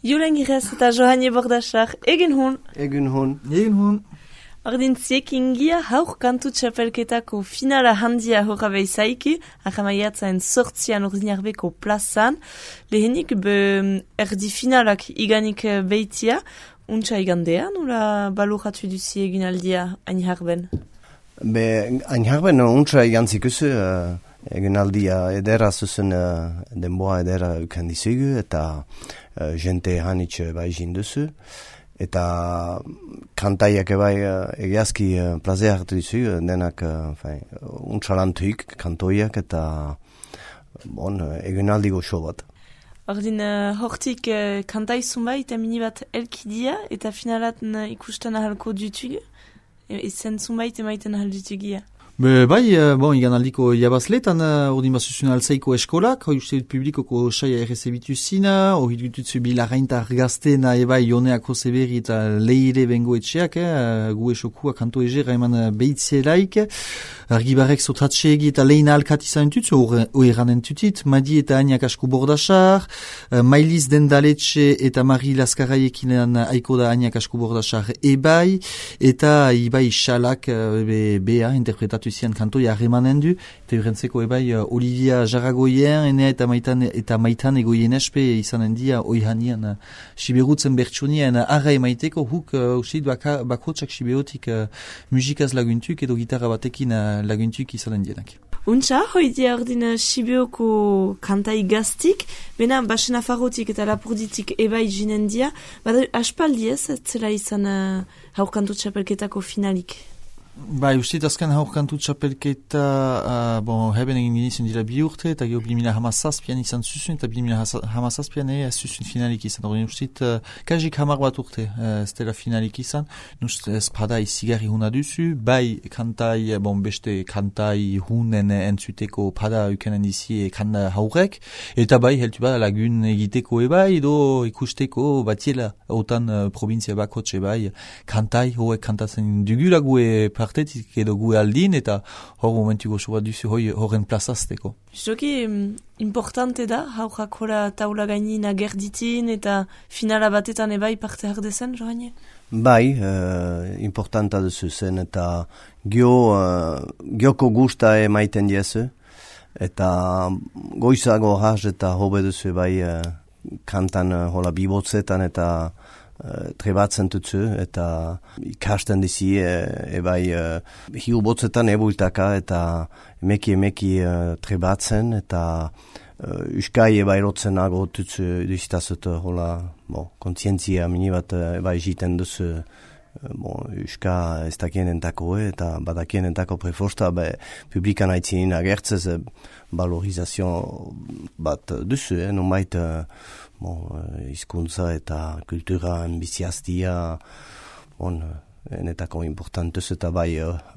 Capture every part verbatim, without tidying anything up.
Julen Girez eta Johanie Bordachar, egin hun. Egin hun. Egin hun. Ordin ziekingia hauk kantu txapelketako finala handia horra behizaiki, ahamaiatzaen sortzian ordinarbeko plazan, lehenik be erdi finalak iganik behitia, untsa igandea, nula baluratu duzi egin aldia ainharben? Be, ainharben untsa igantzik usu, uh, egin aldia edera zuzen uh, denboa edera ukandizugu, eta uh, jente hanitxe bai jinduzu. Eta kantaiak ebai uh, egiazki uh, plazea hartu dizu, denak uh, untsalantuik kantoiak eta bon, uh, egunaldi goxo bat. Ordin, uh, hortik uh, kantai zumba eta mini bat elkidia eta finalat uh, ikusten ahalko dutugu, ezen zumba eta maiten ahal dutugia. Be, bai, bon, igan aldiko jabazletan, ordin uh, basuzun alzaiko eskolak, hoi uste dut publikoko saia errezebitu zina, hori dututzu bilagaintar gaztena ebai joneako zeberi eta leire bengo etxeak, eh, gu esokua kanto egera eman behitzielaik, argibarek zotratxeegi eta leina alkat izan tutzu, hori eranen tutit, Madi eta Aniak Asku Bordachar, uh, Mailiz Dendaletxe eta Mari Laskaraiekin aiko da Aniak Asku Bordachar ebai, eta ibai xalak uh, be, bea interpretatu zian kantoia harremanen du, eta urentzeko ebai uh, Olivia Jaragoien, enea eta maitan, eta maitan egoien espe izanen dia oihanian uh, siberutzen bertsunien uh, arra emaiteko huk uh, usid baka, bakotsak siberotik uh, musikaz laguntuk edo gitarra batekin uh, laguntuk izanen dienak. Untsa, hoi dia ordin Sibioko kantai gaztik, bena basen afarrotik eta lapurditik ebai jinen dia, bada aspaldi ez, zela izan uh, haurkantu txapelketako finalik. Bai, uste azken haurkantu txapelketa, uh, bon, heben egin ginizen dira bi urte, eta gero bi mila hamazazpian izan zuzun, eta bi mila hamazazpian ez zuzun finalik izan. Horren uste, uh, kajik hamar bat urte, uh, ez dela finalik izan, nust espada izigarri huna duzu, bai kantai, bon, beste kantai hunen entzuteko pada ukenen dizi kanda haurek, eta bai, heltu bada lagun egiteko ebai, edo ikusteko batiela, otan uh, provintzia bakotxe bai, kantai, hoek kantatzen dugula gue partetik edo gu aldin, eta hor momentuko soa duzu horren plazazteko. Joki, importante da, haurrak hola taula gainin agerditin eta finala batetan ebai parte hardezen, Joanie? Bai, uh, importanta duzu zen, eta gio, uh, gioko gusta emaiten diezu, eta goizago haz eta hobe duzu bai uh, kantan uh, hola bibotzetan eta Uh, trebatzen tutzu, eta ikasten dizi, e, ebai uh, hiu botzetan ebuiltaka, eta emeki emeki uh, trebatzen, eta uh, uskai ebai rotzen nago tutzu duzitazut, hola, bo, kontzientzia minibat uh, ebai jiten duzu, uh, bo, uska ez dakien entako, eta badakien entako preforsta, be, publikan haitzinin agertzez, uh, valorizazio bat duzu, eh, nomait, uh, bon, izkuntza eta kultura biziaztia, bon, enetako importantuz eta bai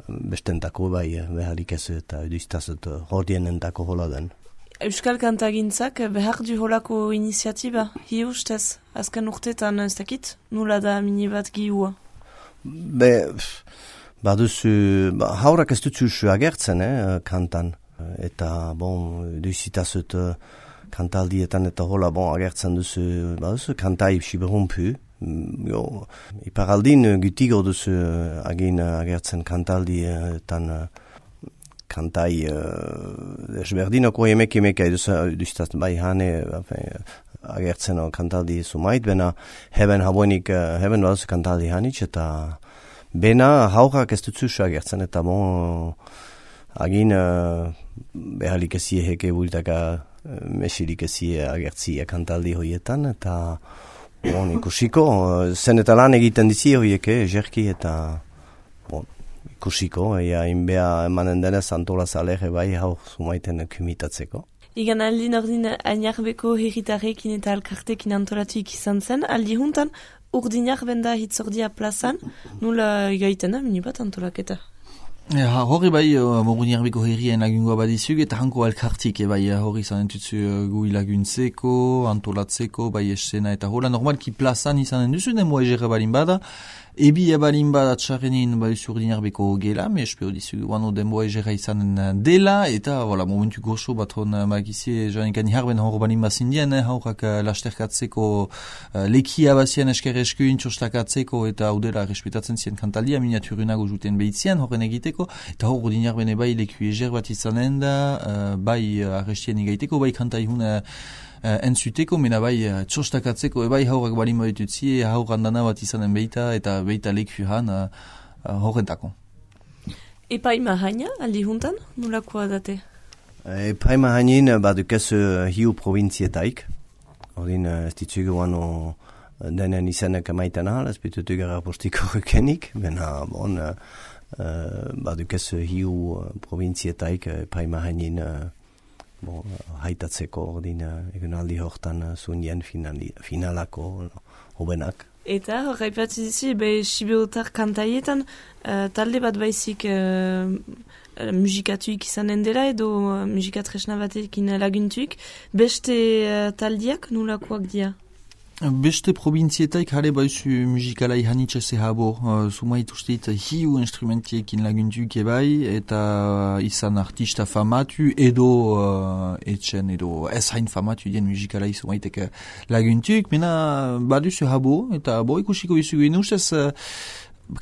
bestentako bai beharrik ez eta eduztazut hordien entako hola den. Euskal kantagintzak behar du holako iniziatiba, hi ustez, azken urtetan ez dakit, nula da mini bat gihua? Be, baduzu, ba, haurak ez dutzu agertzen, eh, kantan, eta bon, eduzitazut kantaldietan eta hola bon agertzen duzu, baduzu kantai siberumpu, jo, iparaldin gutigo duzu agin agertzen kantaldietan kantai uh, esberdinoko emek emek eduzitaz bai hane agertzen kantaldi sumait, bena heben haboenik, heben baduzu kantaldi hanitz, eta bena haurak ez dutzu agertzen, eta bon agin uh, behalik ezie heke bultaka mesirik ezie agertzia kantaldi hoietan, eta bon, ikusiko, zen eta lan egiten dizi hoieke, jerki, eta bon, ikusiko, ea inbea emanen denez antola zalere bai hau sumaiten kumitatzeko. Igan aldin ordin ainarbeko herritarrekin eta alkartekin antolatuik izan zen, aldi juntan urdinak benda hitzordia plazan, nula igaiten da, minibat antolaketa? Ja, hori bai, uh, Moruniarbeko herrien lagungoa badizuk, eta hanko elkartik, e, bai, hori izanen tutzu uh, gui laguntzeko, antolatzeko, bai esena, eta hola normalki plazan izanen duzu, demo egera balin bada, ebi ebalin bada txarrenin baduzu Ordinarbeko gela, me espero dizu guano demo egera izanen dela, eta, voilà, momentu goxo bat hon magizie, joan ikan jarben hor balin bazindien, eh, haurak uh, lasterkatzeko uh, lekia bazien esker eskuin txostakatzeko, eta udela respetatzen zien kantalia, miniaturunago juten behitzien, horren egiteko, eta hor Ordinarbene bai leku eger bat izanen da, uh, bai uh, arrestien igaiteko, bai kantaihun uh, Uh, entzuteko, mena bai uh, txostakatzeko, ebai haurak balin badututzi, hauran dana bat izanen beita, eta beita leku han uh, uh, horrentako. Epaima haina, aldi juntan, nolakoa date? Epaima hainin badukez uh, hiu provinzietaik, ordin uh, ez ditzugu guano denen izanek maiten ahal, ez bitutu gara postiko rekenik, bena bon, uh, uh, badukez hiu uh, provinzietaik epaima hainin uh, Bon, haitatzeko ordin egunaldi hortan zunien finali, finalako hobenak. Eta horreipatzi dizi, be Sibeotar kantaietan uh, talde bat baizik uh, musikatuik izanen dela edo uh, musikatresna batekin laguntuik, beste uh, taldiak nolakoak dia? Beste provinzietaik jare baizu musikalai hanitxe zehabo, uh, sumait ustit hiu instrumentiekin laguntuk ebai, eta izan artista famatu edo uh, etxen edo ez hain famatu dien musikalai sumaitek laguntuk, mena baduzu habo, eta bo ikusiko izugu inustez, uh,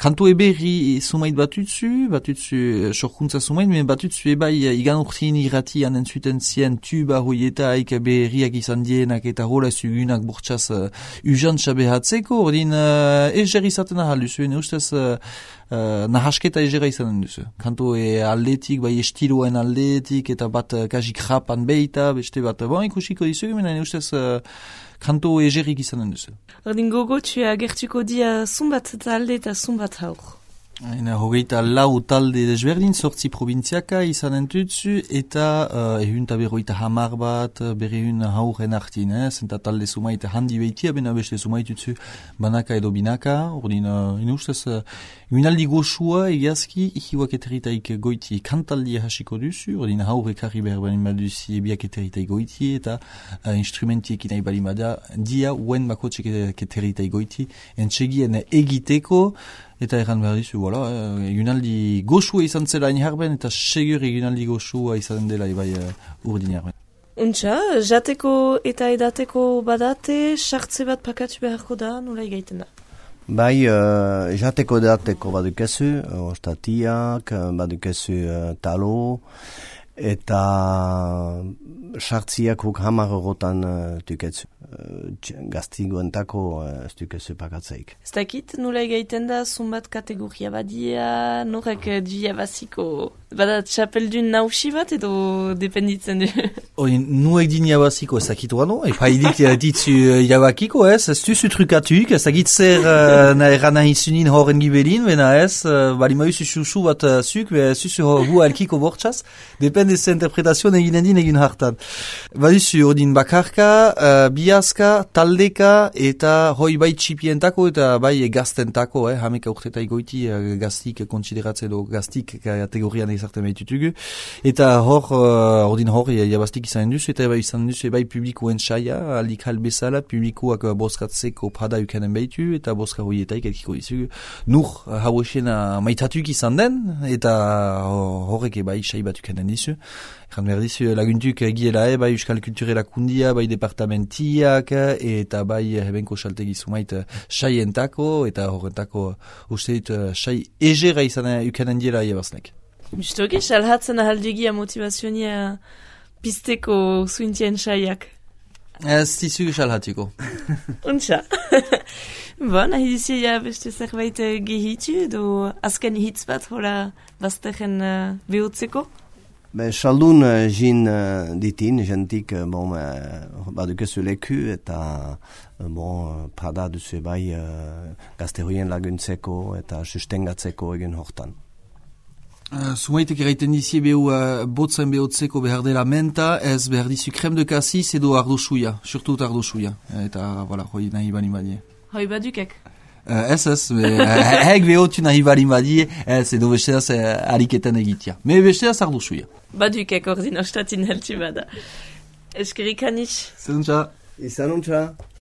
kantu eberri sumait batutzu, batutzu sorkuntza sumait, men batutzu ebai igan urtin irrati anen zuten zien tuba hoietaik berriak izan dienak eta rola zugunak bortxaz uh, ujantxa behatzeko, ordin uh, eger izaten ahal duzu, ene ustez uh, uh, nahasketa egera izanen duzu. Kantu e aldetik, bai estiloen aldetik, eta bat uh, kajik rapan beita, beste bat, bon ikusiko dizugu, men ene ustez uh, kanto egerik izanen duzu. Ordin gogo, tu agertuko dia zumbat talde eta zumbat haur. Ena hogeita lau talde desberdin, sortzi provintziaka izanen tutzu, eta uh, ehun eta berroita hamar bat, berrehun hauren artin, eh? Zenta talde sumait handi behitia, bena beste sumait tutzu banaka edo binaka, ordin, uh, ina ustez, uh, unaldi goxua egiazki, ihiuak eteritaik goiti kantaldia hasiko duzu, ordin haure karri behar balin baduzi ebiak eteritaik goiti, eta uh, instrumentiek inai balin bada, dia uen bakotxek eteritaik goiti, entxegien egiteko, eta erran behar dizu, voilà, eh, egunaldi goxua izan zela inharben, eta segur egunaldi goxua izan dela ebai uh, urdin jarben. Untxa, jateko eta edateko badate, sartze bat pakatu beharko da, nola igaiten da? Bai, uh, jateko edateko badukezu, ostatiak, badukezu uh, talo, eta sartziak huk hamar eurotan uh, tuketzu. Uh, gaztigoentako uh, ez dukezu pakatzeik. Ez dakit, nola egaiten da, zumbat kategoria badia, norek duia baziko, bada txapeldun nausi bat edo dependitzen du? Hori, nuek din jabaziko ez dakit wano, epa idit ditzu jabakiko ez, ez duzu trukatuk, ez dakit zer uh, erana izunin horren gibelin, bena ez, uh, bali maizu susu bat uh, zuk, be zuzu hu alkiko bortxaz, depende ze interpretazioan eginen din egin hartan. Baduzu, ordin bakarka, uh, biazka, taldeka, eta hoi bai txipientako eta bai gaztentako, eh, hameka urteta igoiti uh, gaztik konsideratzen edo gaztik kategorian egizarten behitutugu, eta hor, uh, ordin hor, jabaztik izan duzu, eta bai izan duzu, bai publikoen saia, aldik halbezala, publikoak boskatzeko prada ukanen behitu, eta boska hoietaik elkiko dizugu. Nur, hauesena maitatuk izan den, eta horrek bai sai bat ukanen dizu. Egan behar dizu, laguntuk giela, eh, bai Euskal Kulturela kundia, bai departamentiak, eta bai hebenko saltegi sumait saientako, eta horrentako uste dut sai egera izan ukanen diela jabaznek. Justoki, salhatzen ahaldegia motivazionia pizteko zuintien saiak. Ez dizu salhatiko. Untxa. Bon, nahi dizi ja beste zerbait gehitu, edo azken hitz bat hola bazteren uh, behotzeko? Be, saldun uh, jin uh, ditin, jentik, uh, bon, uh, badukezu leku, eta uh, bon, prada duzu bai uh, gazte hoien laguntzeko eta sustengatzeko egin hortan. Uh, Sumaitek eraiten dizie behu uh, botzen behotzeko behar dela menta, ez behar dizu krem de kassis edo ardo suia, surtut ardo suia, eta, voilà, hoi nahi bani badie. Hoi badukek? Uh, ez ez, hek behotu nahi balin badie, ez edo besteaz uh, ariketan egitea. Me besteaz ardu zuia. Baduikek ordin ostatin helti bada. Eskerik aniz. Zeduntza. Izanuntza.